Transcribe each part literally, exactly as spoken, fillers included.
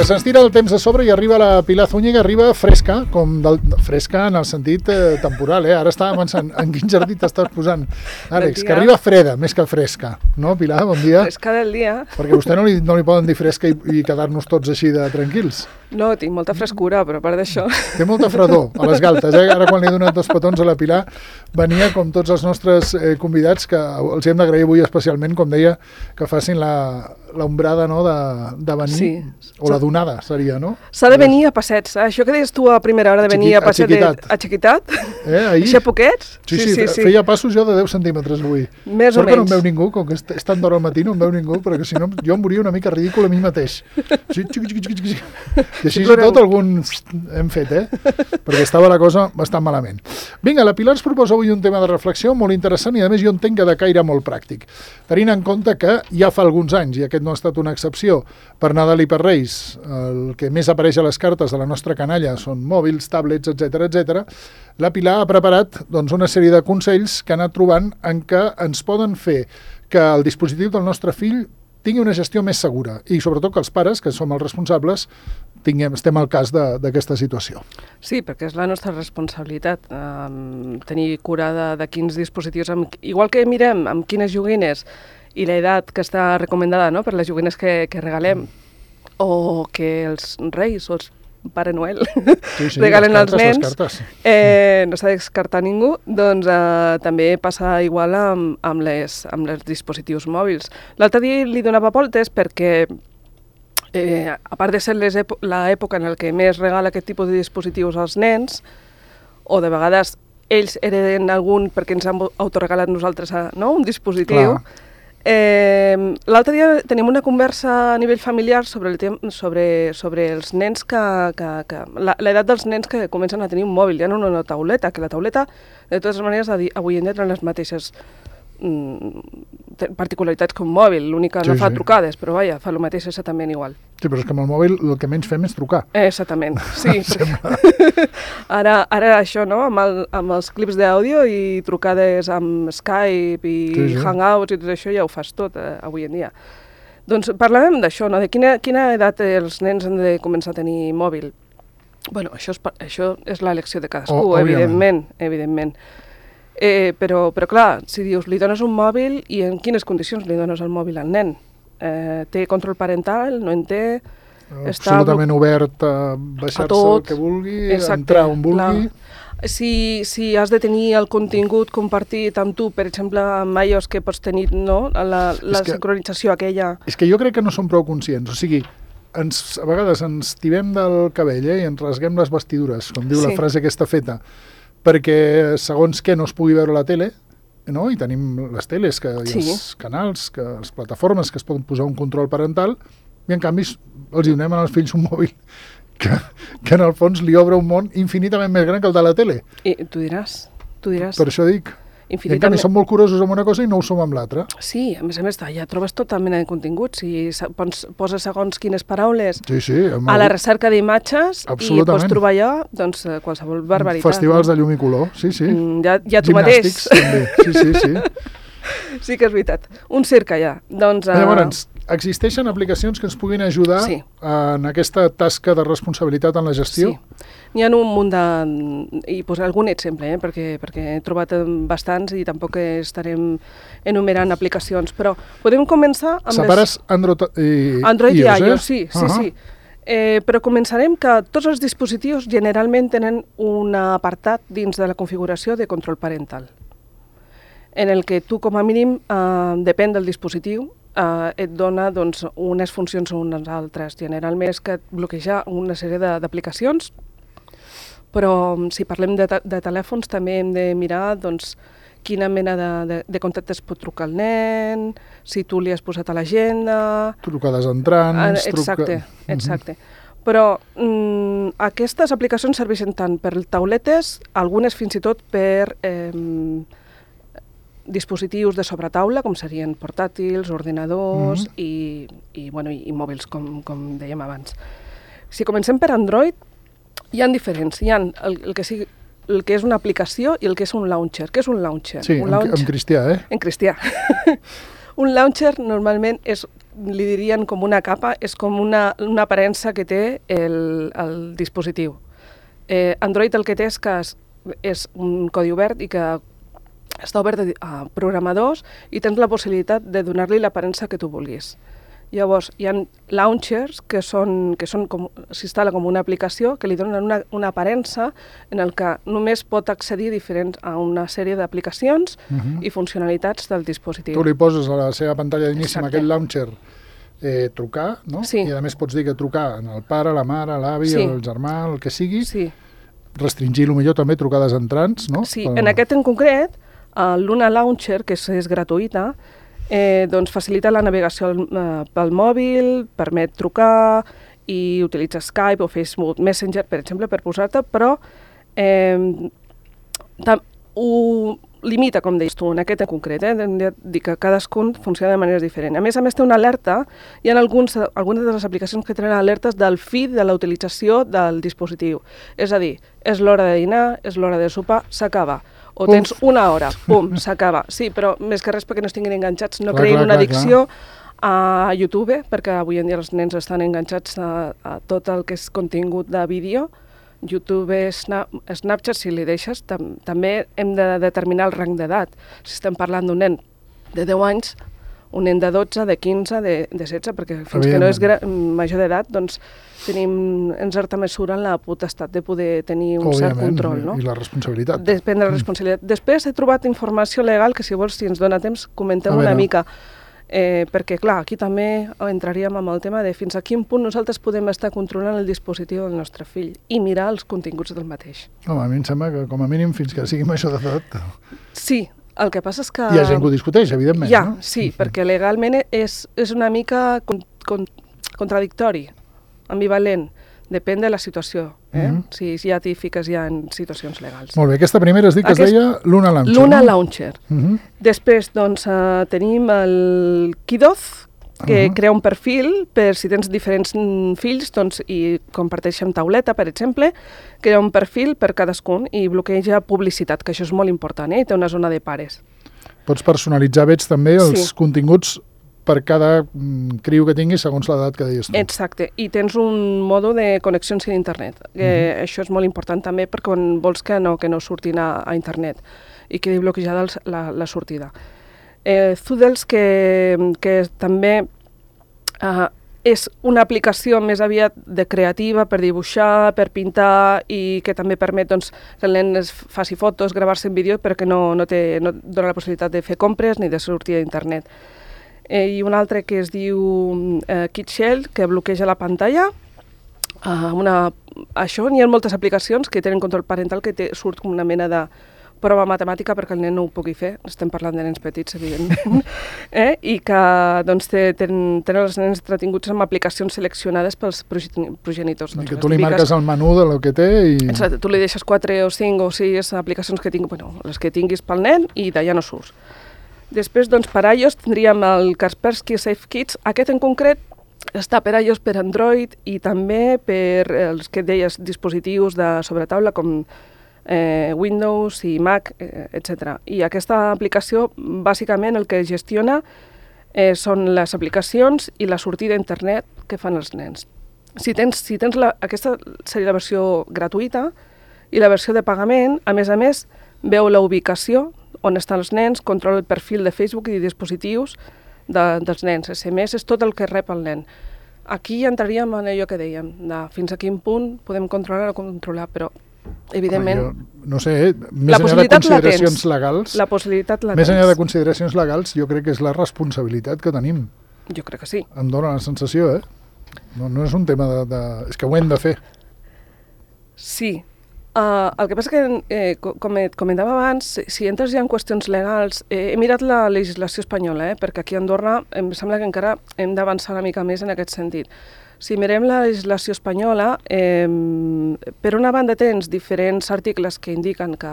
que se'ns tira el temps de sobre i arriba la Pilar Zúñiga, arriba fresca, com del, fresca en el sentit eh, temporal, eh? Ara estava pensant en quin jardí t'estàs posant, Àlex, que arriba freda més que fresca, no, Pilar? Bon dia. Fresca del dia. Perquè a vostè no li, no li poden dir fresca i, i quedar-nos tots així de tranquils. No, tinc molta frescura, però a part d'això... Té molta fredor a les galtes, eh? Ara quan li he donat dos petons a la Pilar venia com tots els nostres eh, convidats, que els hem d'agrair avui especialment, com deia, que facin la, l'ombrada, no?, de, de venir, sí. O la donada seria, no? S'ha de venir a passets, eh? Això que deies tu a primera hora de venir a passet a Xiquitat, eh, ahir... així a poquets? Sí, sí, sí, sí, feia passos jo de deu centímetres avui. Més Sort o menys. que no em veu ningú, com que és tan d'hora al matí no em veu ningú, perquè si no jo em veuria una mica ridícul a mi mateix. Sí, xic, xic, xic, xic. I així i tot algun hem fet, eh? Perquè estava la cosa bastant malament. Vinga, la Pilar ens proposa avui un tema de reflexió molt interessant i a més jo entenc que de caire molt pràctic. Tenint en compte que ja fa alguns anys, i aquest no ha estat una excepció, per Nadal i per Reis, el que més apareix a les cartes de la nostra canalla són mòbils, tablets, etcètera, etcètera, la Pilar ha preparat doncs, una sèrie de consells que ha anat trobant en què ens poden fer que el dispositiu del nostre fill tingui una gestió més segura i sobretot que els pares, que som els responsables, tinguem, estem al cas d'aquesta situació. Sí, perquè és la nostra responsabilitat um, tenir cura de, de quins dispositius, amb, igual que mirem amb quines joguines i l'edat que està recomendada, no?, per les joguines que, que regalem, mm. o que els reis o els Pare Noel sí, sí, regalen cartes, als nens, eh, no s'ha de descartar ningú, doncs eh, també passa igual amb, amb, les, amb els dispositius mòbils. L'altre dia li donava voltes perquè, eh, a part de ser l'època en què més regala aquest tipus de dispositius als nens, o de vegades ells hereden algun perquè ens han autoregalat nosaltres no? un dispositiu, clar. Eh, l'altre dia tenim una conversa a nivell familiar sobre, el tem sobre, sobre els nens que, que, que l'edat dels nens que comencen a tenir un mòbil, ja no una tauleta, que la tauleta de totes maneres avui en dia tenen les mateixes mm, particularitats que un mòbil, l'únic que sí, no fa sí. trucades, però vaja, fa el mateix exactament igual. Sí, però és que amb el mòbil el que menys fem és trucar. Eh, exactament, sí. ara, ara això, no?, amb, el, amb els clips d'àudio i trucades amb Skype i sí, sí. Hangouts i tot això ja ho fas tot eh, avui en dia. Doncs parlàvem d'això, no?, de quina, quina edat els nens han de començar a tenir mòbil. Bueno, això és, això és l'elecció de cadascú, oh, evidentment, evidentment. Eh, però, però clar, si dius, li dones un mòbil i en quines condicions li dones el mòbil al nen? Eh, té control parental, no en té... Absolutament està obert a baixar-se el que vulgui, exacte, entrar on vulgui... Clar. Si, si has de tenir el contingut compartit amb tu, per exemple, amb iOS, que pots tenir no? la, la que, sincronització aquella... És que jo crec que no som prou conscients, o sigui, ens, a vegades ens tirem del cabell eh, i ens rasguem les vestidures, com diu sí. la frase aquesta feta, perquè segons què no es pugui veure la tele, no? I tenim les teles, que hi ha sí. els canals, que les plataformes que es poden posar un control parental, i en canvi els donem als fills un mòbil que, que en el fons li obre un món infinitament més gran que el de la tele. I tu diràs, tu diràs. Per això dic. Infinitament... I en canvi som molt curosos amb una cosa i no ho som amb l'altra. Sí, a més a més, ja trobes tota mena de continguts. Si poses segons quines paraules sí, sí, a la recerca d'imatges i pots trobar allò, doncs qualsevol barbaritat. Festivals no? de llum i color, sí, sí. Mm, ja, ja tu mateix. També. Sí, sí, sí. Sí que és veritat. Un circ allà. Doncs, uh... Llavors, existeixen aplicacions que ens puguin ajudar sí. en aquesta tasca de responsabilitat en la gestió? Sí. N'hi ha un munt de... I posaré algun exemple, eh? perquè, perquè he trobat bastants i tampoc estarem enumerant aplicacions, però podem començar amb... Separes les... Android i, Android i iOS, eh? iOS sí, sí, uh-huh. sí. Eh, però començarem que tots els dispositius generalment tenen un apartat dins de la configuració de control parental, en el que tu, com a mínim, eh, depèn del dispositiu, eh, et dona doncs, unes funcions o unes altres. Generalment és que et bloqueja una sèrie d'aplicacions, però si parlem de, de telèfons també hem de mirar doncs, quina mena de, de, de contactes pot trucar el nen, si tu li has posat a l'agenda... Trucades entrants... Eh, exacte, truca... exacte. Uh-huh. Però mm, aquestes aplicacions serveixen tant per tauletes, algunes fins i tot per... Eh, dispositius de sobretaula, com serien portàtils, ordinadors mm-hmm. i, i, bueno, i, i mòbils, com, com dèiem abans. Si comencem per Android, hi ha diferents. Hi ha el, el, que sigui, el que és una aplicació i el que és un launcher. Què és un launcher? Sí, un en, launcher... en cristià, eh? En cristià. Un launcher normalment és li dirien com una capa, és com una, una aparença que té el, el dispositiu. Eh, Android el que té és que és, és un codi obert i que està obert a programadors i tens la possibilitat de donar-li l'aparença que tu vulguis. Llavors, hi ha launchers que són, que són com, s'instal·la com una aplicació que li donen una, una aparença en el que només pot accedir diferents a una sèrie d'aplicacions uh-huh. i funcionalitats del dispositiu. Tu li poses a la seva pantalla d'inici amb aquest launcher eh, trucar, no? Sí. I a més pots dir que trucar al pare, la mare, l'avi, sí. el germà, el que sigui. Sí. Restringir, potser també trucades entrants, no? Sí, en aquest en concret, l'Una Launcher, que és, és gratuïta, Eh, doncs facilita la navegació eh, pel mòbil, permet trucar i utilitza Skype o Facebook Messenger, per exemple, per posar-te, però eh, ho limita, com deies tu, en aquest en concret, eh? Hem de dir que cadascun funciona de manera diferent. A més a més, té una alerta, hi ha alguns, algunes de les aplicacions que tenen alertes del fi de la utilització del dispositiu. És a dir, és l'hora de dinar, és l'hora de sopar, s'acaba. O Uf. tens una hora, pum, s'acaba. Sí, però més que res perquè no estiguin enganxats, no clar, creïn clar, una addicció a YouTube, perquè avui en dia els nens estan enganxats a, a tot el que és contingut de vídeo. YouTube, Snap, Snapchat, si li deixes, tam, també hem de determinar el rang d'edat. Si estem parlant d'un nen de deu anys, un nen de dotze, de quinze, de, de setze, perquè fins que no és major d'edat, doncs tenim en certa mesura la potestat de poder tenir un Òbviament, cert control. No? I la responsabilitat. De prendre la responsabilitat. Mm. Després he trobat informació legal que, si vols, si ens dona temps, comentem una mica. Eh, perquè, clar, aquí també entraríem amb el tema de fins a quin punt nosaltres podem estar controlant el dispositiu del nostre fill i mirar els continguts del mateix. Home, a mi em sembla que, com a mínim, fins que sigui major d'edat... Sí, el que passa és que... Hi ha gent que ho discuteix, evidentment. Ja, no? sí, perquè legalment és, és una mica con, con, contradictori, ambivalent, depèn de la situació, eh? Mm-hmm. Si ja t'hi fiques ja en situacions legals. Molt bé, aquesta primera es diu que Aquest, es deia Luna Launcher. Luna no? Launcher. Mm-hmm. Després, doncs, uh, tenim el Kidoz, que uh-huh. crea un perfil per si tens diferents fills doncs, i comparteixen tauleta, per exemple, crea un perfil per cadascun i bloqueja publicitat, que això és molt important, eh? I té una zona de pares. Pots personalitzar, veig, també els sí. continguts per cada mm, criu que tinguis segons l'edat que deies tu. Exacte, i tens un mode de connexions a internet, que uh-huh. això és molt important també perquè quan vols que no, que no surtin a, a internet i quedi bloquejada els, la, la sortida. Eh, Zoodles, que, que també uh, és una aplicació més aviat de creativa per dibuixar, per pintar i que també permet doncs, que el nen es faci fotos, gravar-se en vídeo, però que no, no, té, no dona la possibilitat de fer compres ni de sortir a internet. Eh, I un altre que es diu eh, KidShell, que bloqueja la pantalla. Uh, una, això, n'hi ha moltes aplicacions que tenen control parental que té, surt com una mena de prova matemàtica perquè el nen no ho pugui fer, estem parlant de nens petits, evidentment, eh? I que doncs, tenen, tenen els nens entretinguts amb aplicacions seleccionades pels progenitors. I que tu li marques el menú de lo que té i... Exacte, tu li deixes quatre o cinc o sis aplicacions que tinguis, bueno, les que tinguis pel nen i d'allà no surts. Després, doncs, per iOS tindríem el Kaspersky Safe Kids, aquest en concret està per iOS, per Android i també per els que deies dispositius de sobretaula com Eh, Windows i Mac, eh, etcètera. I aquesta aplicació, bàsicament, el que gestiona eh, són les aplicacions i la sortida a internet que fan els nens. Si tens, si tens la, aquesta seria la versió gratuïta i la versió de pagament, a més a més, veu la ubicació on estan els nens, controla el perfil de Facebook i dispositius de, dels nens. S M S és tot el que rep el nen. Aquí entraríem en allò que dèiem, de fins a quin punt podem controlar o controlar, però evidentment... Jo, no sé, eh? més enllà de consideracions legals... La possibilitat la tens. Més enllà de consideracions legals, jo crec que és la responsabilitat que tenim. Jo crec que sí. Em dóna la sensació, eh? No, no és un tema de, de... És que ho hem de fer. Sí. Uh, el que passa que, eh, com et comentava abans, si entres ja en qüestions legals, eh, he mirat la legislació espanyola, eh, perquè aquí a Andorra em sembla que encara hem d'avançar una mica més en aquest sentit. Si mirem la legislació espanyola, eh, per una banda tens diferents articles que indiquen que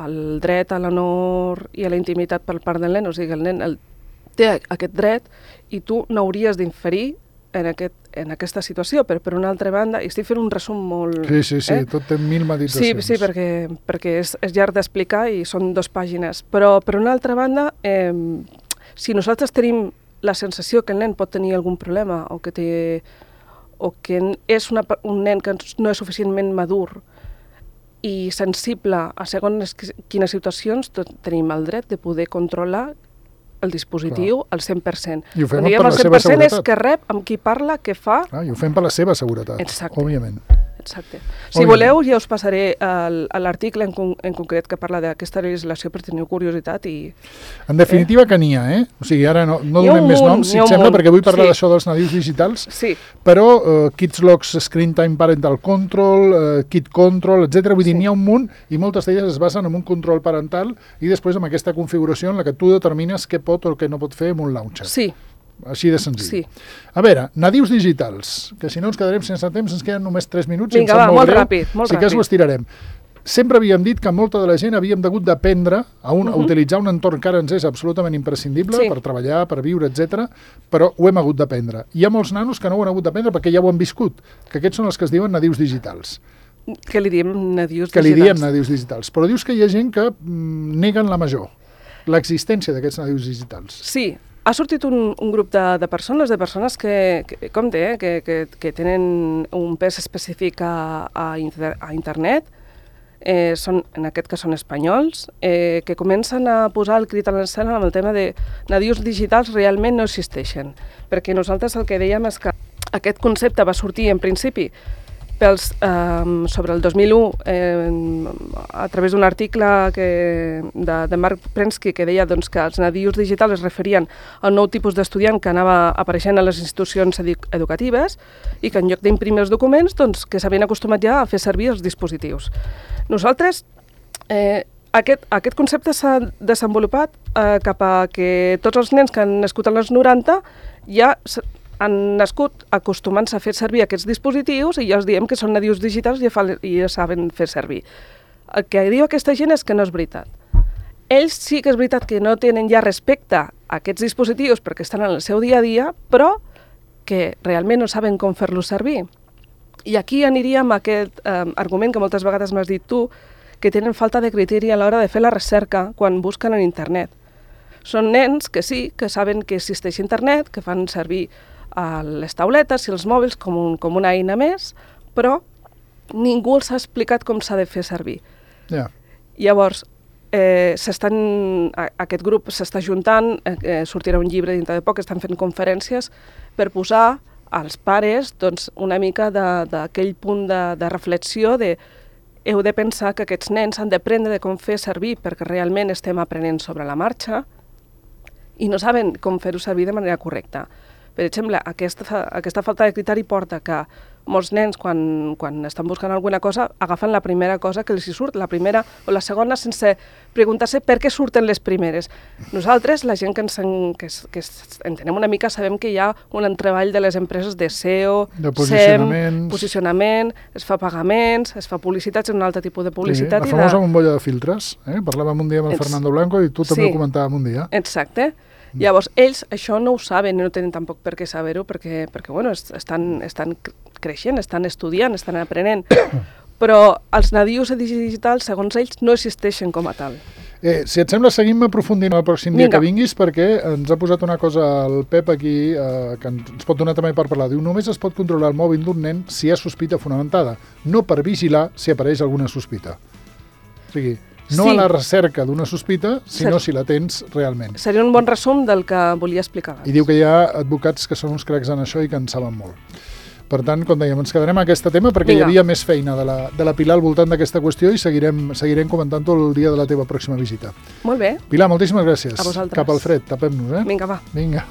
el dret a l'honor i a la intimitat per part del nen, o sigui, el nen el, té aquest dret i tu no hauries d'inferir en, aquest, en aquesta situació, però per una altra banda, i estic fent un resum molt... Sí, sí, sí, eh? tot té mil meditacions. Sí, sí, perquè, perquè és, és llarg d'explicar i són dues pàgines, però per una altra banda, eh, si nosaltres tenim la sensació que el nen pot tenir algun problema o que, té, o que és una, un nen que no és suficientment madur i sensible a segons quines situacions, tenim el dret de poder controlar el dispositiu Clar. al cent per cent. I ho fem Quan per la seva seguretat. el cent per cent és que rep amb qui parla, què fa... Ah, I ho fem per la seva seguretat, Exacte. òbviament. Exacte. Si Òbviament. voleu, ja us passaré l'article en, con en concret que parla d'aquesta legislació per tenir curiositat i... En definitiva eh? que n'hi ha, eh? O sigui, ara no, no donem més noms, si et sembla, perquè vull parlar sí. d'això dels nadius digitals, sí. però uh, Kids Logs, Screen Time Parental Control, uh, Kid Control, etcètera. Vull dir, sí. n'hi ha un munt i moltes d'elles es basen en un control parental i després amb aquesta configuració en la que tu determines què pot o què no pot fer amb un launcher. Sí. Així de senzill. Sí. A veure, nadius digitals, que si no ens quedarem sense temps, ens queden només tres minuts. Vinga, va, molt, molt ràpid. Molt sí que ho estirarem. Sempre havíem dit que molta de la gent havíem hagut d'aprendre a, un, uh -huh. a utilitzar un entorn que ara ens és absolutament imprescindible sí. per treballar, per viure, etcètera, però ho hem hagut d'aprendre. Hi ha molts nanos que no ho han hagut d'aprendre perquè ja ho han viscut, que aquests són els que es diuen nadius digitals. Que li diem nadius que digitals. Que li diem nadius digitals. Però dius que hi ha gent que mm, neguen la major, l'existència d'aquests nadius digitals. Sí. Ha sortit un, un grup de, de persones, de persones que, que com té, eh, que, que, que tenen un pes específic a, a, inter, a internet, eh, són, en aquest cas són espanyols, eh, que comencen a posar el crit a l'escena amb el tema de nadius digitals realment no existeixen. Perquè nosaltres el que dèiem és que aquest concepte va sortir en principi pels, eh, sobre el dos mil u eh, a través d'un article que, de, de Marc Prensky que deia doncs, que els nadius digitals es referien a un nou tipus d'estudiant que anava apareixent a les institucions edu educatives i que en lloc d'imprimir els documents doncs, que s'havien acostumat ja a fer servir els dispositius. Nosaltres, eh, aquest, aquest concepte s'ha desenvolupat eh, cap a que tots els nens que han nascut als noranta ja han nascut acostumant-se a fer servir aquests dispositius i ja els diem que són nadius digitals i ja, fa, i ja saben fer servir. El que diu aquesta gent és que no és veritat. Ells sí que és veritat que no tenen ja respecte a aquests dispositius perquè estan en el seu dia a dia, però que realment no saben com fer-los servir. I aquí aniríem a aquest eh, argument que moltes vegades m'has dit tu, que tenen falta de criteri a l'hora de fer la recerca quan busquen en internet. Són nens que sí, que saben que existeix internet, que fan servir a les tauletes i els mòbils com, un, com una eina més, però ningú els ha explicat com s'ha de fer servir. Yeah. Llavors, eh, aquest grup s'està juntant, eh, sortirà un llibre dintre de poc, estan fent conferències per posar als pares doncs, una mica d'aquell punt de, de reflexió de heu de pensar que aquests nens han d'aprendre de com fer servir perquè realment estem aprenent sobre la marxa i no saben com fer-ho servir de manera correcta. Per exemple, aquesta, aquesta falta de criteri porta que molts nens, quan, quan estan buscant alguna cosa, agafen la primera cosa que els hi surt, la primera o la segona, sense preguntar-se per què surten les primeres. Nosaltres, la gent que ens en, que, que entenem una mica, sabem que hi ha un entreball de les empreses de S E O, de posicionament, S E M, posicionament, es fa pagaments, es fa publicitats, un altre tipus de publicitat. Sí, la famosa de... bombolla de filtres. Eh? Parlàvem un dia amb el Ets... Fernando Blanco i tu també sí. ho comentàvem un dia. Exacte. Llavors, ells això no ho saben i no tenen tampoc per què saber-ho perquè, perquè bueno, estan, estan creixent, estan estudiant, estan aprenent. Però els nadius digitals, segons ells, no existeixen com a tal. Eh, si et sembla, seguim aprofundint el pròxim dia Vinga. que vinguis perquè ens ha posat una cosa al Pep aquí eh, que ens pot donar també per parlar. Diu, només es pot controlar el mòbil d'un nen si hi ha sospita fonamentada, no per vigilar si apareix alguna sospita. O sigui, no sí. a la recerca d'una sospita, sinó Ser... si la tens realment. Seria un bon resum del que volia explicar abans. I diu que hi ha advocats que són uns cracs en això i que en saben molt. Per tant, com dèiem, ens quedarem a aquest tema perquè Vinga. hi havia més feina de la, de la Pilar al voltant d'aquesta qüestió i seguirem, seguirem comentant-ho el dia de la teva pròxima visita. Molt bé. Pilar, moltíssimes gràcies. A vosaltres. Cap al fred, tapem-nos, eh? Vinga, va. Vinga.